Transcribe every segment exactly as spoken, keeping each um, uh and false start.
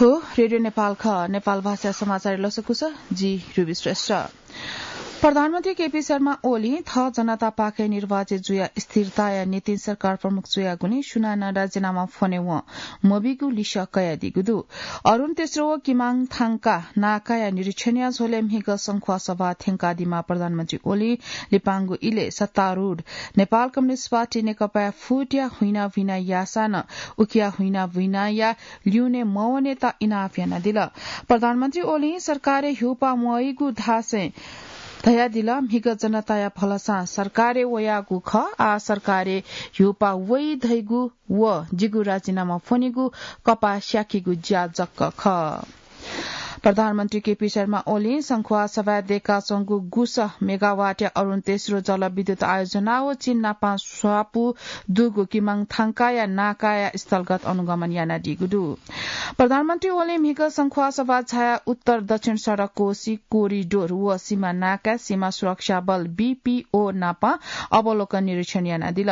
रेडियो नेपाल खः, नेपाल भाषा समाचार लसकुस, जि रुबी श्रेष्ठ। प्रधानमन्त्री केपी शर्मा ओली थः जनतापाखें निर्वाचित जुया स्थिरताया नितिन सरकार प्रमुख जुयागुलिं सुनानं राजीनामा फ्वने वं मबीगु लिसः कयादीगु दु। अरुण तेस्रो व किमाङ थांका नाकाया निरीक्षणया झ्वलय् म्हिगः संख्वासभा थ्यंकादीमा प्रधानमन्त्री ओली लिपांगु इलय् सत्तारूढ नेपाल कम्युनिस्ट पार्टी नेकपाया फुटया हुइना भुइना याःसां नं उकिया हुइना भुइनाया ल्यूने मवनेत इनाप यानादिल। प्रधानमन्त्री ओलीं सरकारय् ह्यूपाः म्वइगु धासें धयादिल, म्हिगः जनताया भलसां सरकारय् वयागु खः, आः सरकारय् ह्यूपाः वइ धइगु व जिगु राजीनामा फ्वनेगु कपाः स्याकेगु ज्या जक खः। प्रधानमन्त्री केपी शर्मा ओलीं संख्वासभाय् दय्काच्वंगु गुसः मेगावाटया अरुण तेस्रो जलविद्युत आयोजना व चीन नापं स्वापू दुगु किमाङ थांकाया नाकाया स्थलगत अनुगमन यानादीगु दु। प्रधानमन्त्री ओलीं म्हिगः संख्वासभा झायाः उत्तर दक्षिण सडक कोसी कोरिडोर व सीमा नाकाय् सीमा सुरक्षा बल, बीपीओ, नापं अवलोकन निरीक्षण यानादिल।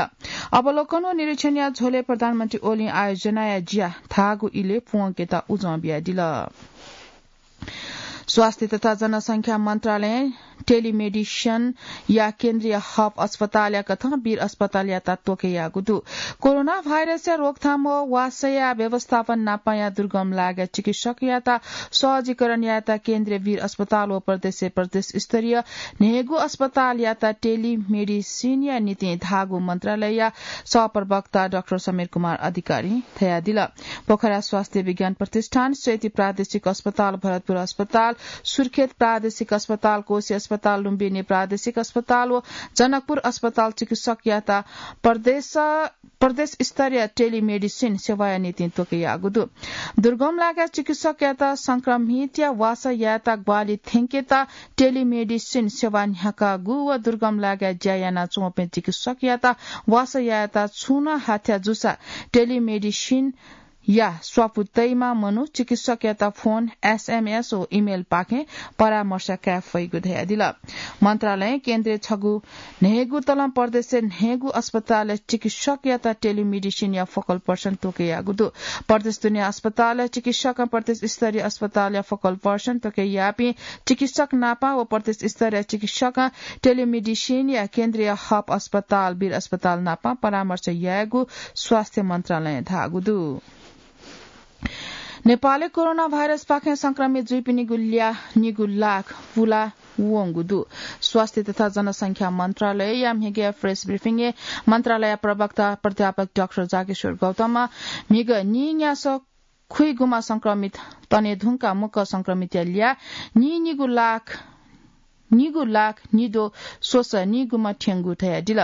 अवलोकन व निरीक्षणया झ्वलय् प्रधानमन्त्री ओलीं आयोजनाया ज्या धाःगु इलय् प्वंकेत उजं बियादिल। स्वास्थ्य तथा जनसंख्या मन्त्रालयं टेलिमेडिसिनया केन्द्रीय हब अस्पतालया कथं वीर अस्पतालयात त्वःके याःगु दु। कोरोना भाइरसया रोकथाम व वासया व्यवस्थापन नापंया दुर्गम लागाय् चिकित्सकयात सहजीकरण यायेत केन्द्रीय वीर अस्पताल व प्रदेश प्रदेश स्तरीय न्हय्गू अस्पतालयात टेलिमेडिसिनया निंतिं धाःगु मन्त्रालयया सहप्रवक्ता डाक्टर समीर कुमार अधिकारीं धयादिल। पोखरा स्वास्थ्य विज्ञान प्रतिष्ठान, सेती प्रादेशिक अस्पताल, भरतपुर अस्पताल, सुर्खेत प्रादेशिक अस्पताल, कोशी अस्पताल, लुम्बिनी प्रादेशिक अस्पताल व जनकपुर अस्पताल चिकित्सकयात प्रदेश, प्रदेश स्तरीय टेलिमेडिसिन सेवाया निंतिं त्वःके याःगु दु। दुर्गम लागाय् चिकित्सकयात संक्रमितया वासः यायेत ग्वाहालि थ्यंकेत टेलिमेडिसिन सेवा न्ह्याकागु व दुर्गम लागाय् ज्या यानाच्वंपिं चिकित्सकयात वासः यायेत छुं नं हाथ्या जूसा टेलिमेडिसिनया स्वापू तइमा मनू चिकित्सकयात फोन, एसएमएस व इमेलपाखें परामर्श काये फइगु धयादिल। मन्त्रालयं केन्द्रय् छगू न्हय्गू तलं प्रदेशय् न्हय्गू अस्पतालय् चिकित्सकयात टेलिमेडिसिनया फोकल पर्सन त्वःके याःगु दु। प्रदेश दुने अस्पतालय् चिकित्सकं प्रदेश स्तरीय अस्पतालया फोकल पर्सन त्वःके याःपिं चिकित्सक नापं व प्रदेश स्तरीय चिकित्सकं टेलिमेडिसिनया केन्द्रीय हब अस्पताल, वीर अस्पताल नापं परामर्श यायेगु स्वास्थ्य मन्त्रालयं धाःगु दु। नेपालय् कोरोना भाइरसपाखें संक्रमित जुइपिनिगु ल्याः निगू लाख पुला वंगु दु। स्वास्थ्य तथा जनसंख्या मन्त्रालयया म्हिगः प्रेस ब्रिफिङय् मन्त्रालय प्रवक्ता प्राध्यापक डाक्टर जागेश्वर गौतमं म्हिगः नीन्यासः खुइगुम्ह संक्रमित तने धुंकाः मुक्कं संक्रमितया ल्याः नीनिगू लाख, निगू लाख निद्वः स्वसः नीगुम्ह थ्यंगु धयादिल।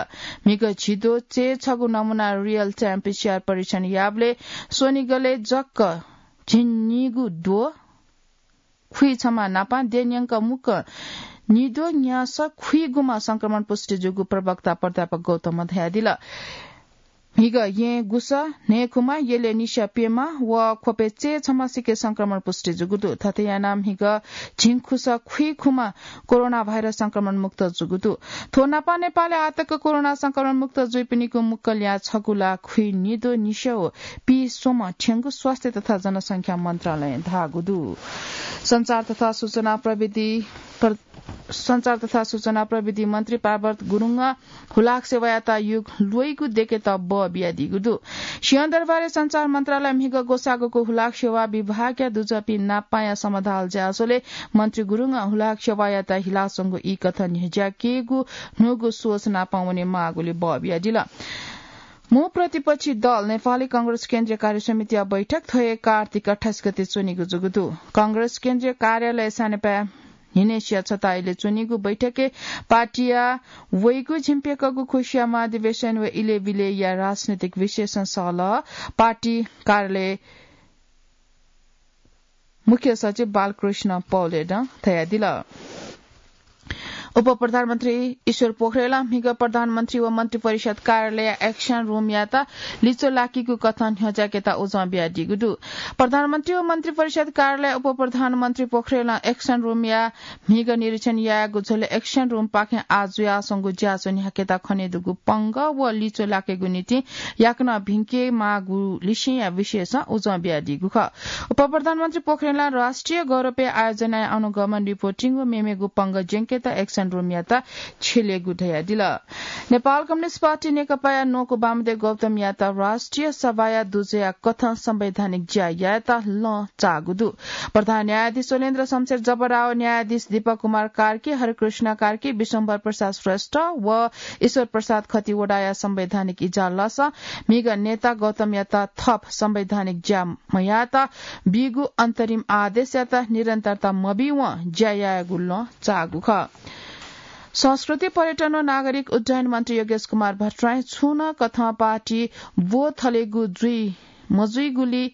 म्हिगः झिद्वः चय्छगू नमूना रियल टाइम पीसीआर परीक्षण याःबलय् स्वनिगलय् जक झिंनिगू द्वः खुइछम्ह नापं देय्‌न्यंक मुक्कं निद्वः न्यासः खुइगुम्ह संक्रमण पुष्टि जूगु प्रवक्ता प्राध्यापक गौतमं धयादिल। म्हिगः येँ गुसः न्हय्खुम्ह, यलय् निस्या प्यम्ह व ख्वपय् चय्छम्ह सिके संक्रमण पुष्टि जूगु दु। थथे यानाः म्हिगः झिंखुसः खुइखुम्ह कोरोना भाइरस संक्रमण मुक्त जूगु दु। थ्व नापं नेपालय् आःतक कोरोना संक्रमण मुक्त जुइपिनिगु मुक्कं ल्याः छगू लाख खुइनिद्वः निस्या व पीस्वम्ह थ्यंगु स्वास्थ्य तथा जनसंख्या मन्त्रालयं धाःगु दु। सञ्चार तथा सूचना प्रविधि प्र-, सञ्चार तथा सूचना प्रविधि मन्त्री पार्वत गुरुङं हुलाक सेवायात युग ल्वइगु देकेत बः बियादीगु दु। सिंहदरबारय् सञ्चार मन्त्रालय म्हिगः ग्वसाःगुगु हुलाक सेवा विभागया दुजःपिं नापांया समधाल ज्याझ्वलय् मन्त्री गुरुङं हुलाक सेवायात हिलाच्वंगु ई कथं न्ह्यज्याकेगु न्हूगु सोच नापं वनेमाःगुलिं बः बियादिल। मू प्रतिपक्षी दल नेपाली कांग्रेस केन्द्रीय कार्य समितिया बैठक थ्व हे कार्तिक अट्ठाइस गते च्वनीगु जूगु दु। कांग्रेस केन्द्रीय कार्यालय सानेपाय् न्हिनय्सिया छता इलय् च्वनीगु बैठकय् पार्टीया वइगु झिंप्यकःगु खुसिया महाधिवेशन व इलय् बिलय्‌या राजनैतिक विश्लेषण सहलह पार्टी कार्यालय मुख्य सचिव बालकृष्ण पौलेलं धयादिल। उपप्रधानमन्त्री ईश्वर पोखरेलं म्हिगः प्रधानमन्त्री व मन्त्रिपरिषद कार्यालय action room-यात लिच्वः लाकीगु कथं न्ह्यज्याकेत उजं बियादीगु दु। प्रधानमन्त्री व मन्त्रिपरिषद कार्यालय उपप्रधानमन्त्री पोखरेलं action room-या म्हिगः निरीक्षण यायेगु झ्वलय् action room-पाखें आः जुयाच्वंगु ज्याझ्वः न्ह्याकेत खनेदुगु पंगः व लिच्वः लाकेगु निंतिं याकनं भिंकेमाःगु लिसेंया विषयसं उजं बियादीगु खः। उपप्रधानमन्त्री पोखरेलं राष्ट्रिय गौरवया आयोजनाया अनुगमन, रिपोर्टिङ व मेमेगु पंगः ज्यंकेत action room-यात छ्यलेगु धयादिल। नेपाल कम्युनिस्ट पार्टी नेकपाया न्वंकू वामदेव गौतमयात राष्ट्रिय सभाया दुजःया कथं संवैधानिक ज्या यायेत लं चाःगु दु। प्रधान न्यायाधीश शैलेन्द्र शमशेर जबरा व न्यायाधीश दीपक कुमार कार्की, हरिकृष्ण कार्की, विश्वम्भर प्रसाद श्रेष्ठ व ईश्वर प्रसाद खतिवडाया संवैधानिक इजालसं म्हिगः नेता गौतमयात थप संवैधानिक ज्या मयायेत बीगु अन्तरिम आदेशयात निरन्तरता मबीवं ज्या यायेगु लं चाःगु खः। संस्कृति, पर्यटन व नागरिक उड्डयन मन्त्री योगेश कुमार भट्टराईं छुं नं कथं पार्टी ब्व थलेगु जुइ मजुइगुली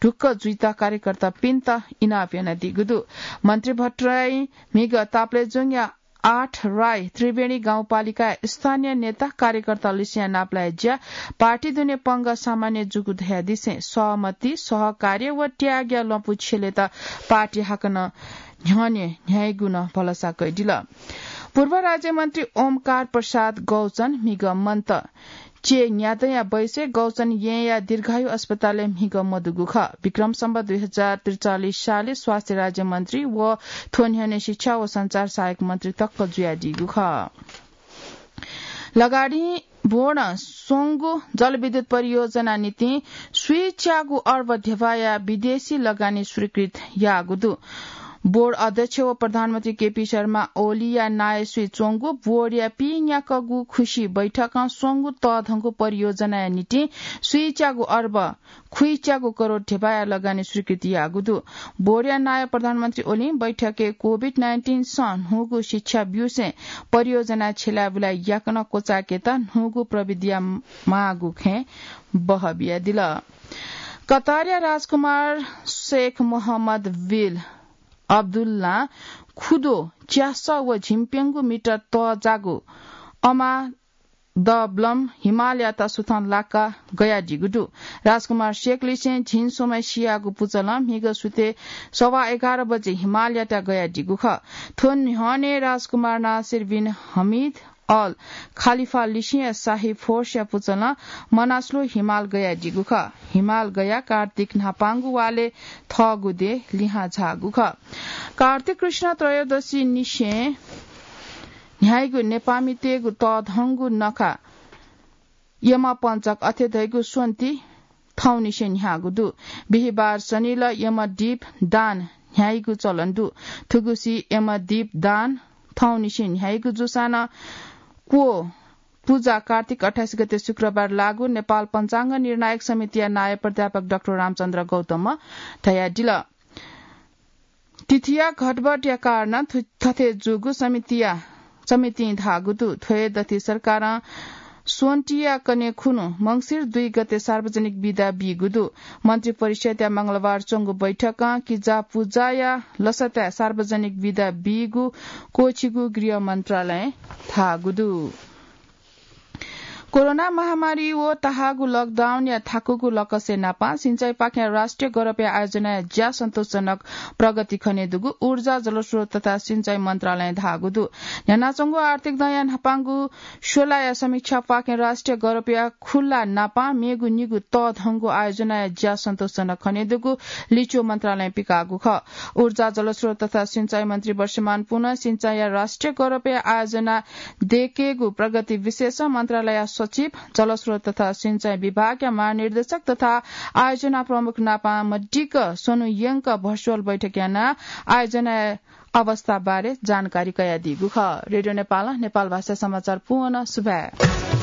ढुक्क जुइत कार्यकर्तापिन्त इनाप यानादीगु दु। मन्त्री भट्टराईं म्हिगः ताप्लेजुङया आठ राई त्रिवेणी गाउँपालिकाया स्थानीय नेता कार्यकर्तालिसेंया नापलाये ज्या पार्टी दुने पंगः सामान्य जूगु धयादिसें सहमति, सहकार्य व त्यागया लँपु छ्यलेत पार्टी हाकनं न्ह्यःने न्ह्याइगु नं भलसा कयादिल। पूर्व राज्यमन्त्री ओमकार प्रसाद गौचन म्हिगः मन्त। चे न्यादँया बैसय् गौचन येँया दीर्घायु अस्पतालय् म्हिगः मदुगु खः। विक्रम सम्वत दुई हजार त्रिचालिस सालय् स्वास्थ्य राज्यमन्त्री व थ्व न्ह्यःने शिक्षा व सञ्चार सहायक मन्त्री तक जुयादीगु खः। लगाडी बोर्डं स्वंगू जलविद्युत परियोजना निंतिं स्वीच्यागू अर्ब ध्यबाया विदेशी लगानी स्वीकृत याःगु दु। बोर्ड अध्यक्ष व प्रधानमन्त्री केपी शर्मा ओलीया नायः स्वीच्वंगु बोर्डया पीन्याक्वःगु खुसी बैठकं स्वंगू तःधंगु परियोजनाया निंतिं स्वीच्यागू अर्ब खुइच्यागू करोड ध्यबाया लगानी स्वीकृति याःगु दु। बोर्डया नायः प्रधानमन्त्री ओलीं बैठकय् कोभिड नाइन्टिन सं न्हूगु शिक्षा ब्यूसें परियोजना छ्यलाय् बुलाय् याकनं क्वचाय्केत न्हूगु प्रविधिया माःगु खँय् बहः बियादिल। कतारया राजकुमार शेख मोहम्मद बिल अब्दुल्लां खुद्वः च्यासः व झिंप्यंगू मिटर तःजाःगु अमा द ब्लम हिमालयात सुथं लाका गयादीगु दु। राजकुमार शेखलिसें झिंस्वम्हय् सियाःगु पुचलं म्हिगः सुथय् सवा एघार बजे हिमालयात गयादीगु खः। थ्व न्ह्यःने राजकुमार नासिर बिन हमिद अल खालिफालिसेंया शाही फोर्सया पुचलं मनास्लु हिमाल गयादीगु खः। हिमाल गया कार्तिक न्हापांगु वालय् थःगु देय् लिहां झाःगु खः। कार्तिक कृष्ण त्रयोदशी निसें न्ह्याइगु नेपाःमितय्गु तःधंगु नखः यमपञ्चक अथे धइगु स्वन्ति थौंनिसें न्ह्याःगु दु। बिहिबार शनिलः यमदीप दान न्ह्याइगु चलन दु। थुगुसी यमदीप दान थौंनिसें न्ह्याइगु जूसां नं क्व पुजा कार्तिक अट्ठाइस गते शुक्रबार लागू नेपाल पञ्चाङ्ग निर्णायक समितिया नायः प्राध्यापक डाक्टर रामचन्द्र गौतमं धयादिल। तिथिया घटबढया कारणं थु-, थथे जूगु समितिया, समितिं धाःगु दु। थ्वय् दथि सरकारं स्वन्तिया कन्हय् खुन्हु मंसिर दुई गते सार्वजनिक बिदा बीगु दु। मन्त्रिपरिषद्या मंगलबार च्वंगु बैठकं किजा पुजाया लसताय् सार्वजनिक बिदा बीगु क्वःछिगु गृह मन्त्रालयं धाःगु दु। कोरोना महामारी व तहाःगु लकडाउनया थाकुगु लकसय् नापं सिँचाइपाखें राष्ट्रिय गौरवया आयोजनाया ज्या सन्तोषजनक प्रगति खनेदुगु ऊर्जा, जलस्रोत तथा सिँचाइ मन्त्रालयं धाःगु दु। न्ह्यानाच्वंगु आर्थिक दँया न्हापांगु स्वलाया समीक्षापाखें राष्ट्रिय गौरवया खुल्ला नापं मेगु निगू तःधंगु आयोजनाया ज्या सन्तोषजनक खनेदुगु लिच्वः मन्त्रालयं पिकाःगु खः। ऊर्जा, जलस्रोत तथा सिँचाइ मन्त्री वर्षमान पुनं सिँचाइया राष्ट्रिय गौरवया आयोजना दयेकेगु प्रगति विषयसं मन्त्रालयया सचिव, जलस्रोत तथा सिँचाइ विभागया महानिर्देशक तथा आयोजना प्रमुख नापं मदिक्क स्वन्हु यंक भर्चुअल बैठक यानाः आयोजनाया अवस्थाबारे जानकारी कयादीगु खः। रेडियो नेपालं नेपाल भाषा समाचार पूवं सुभाय्।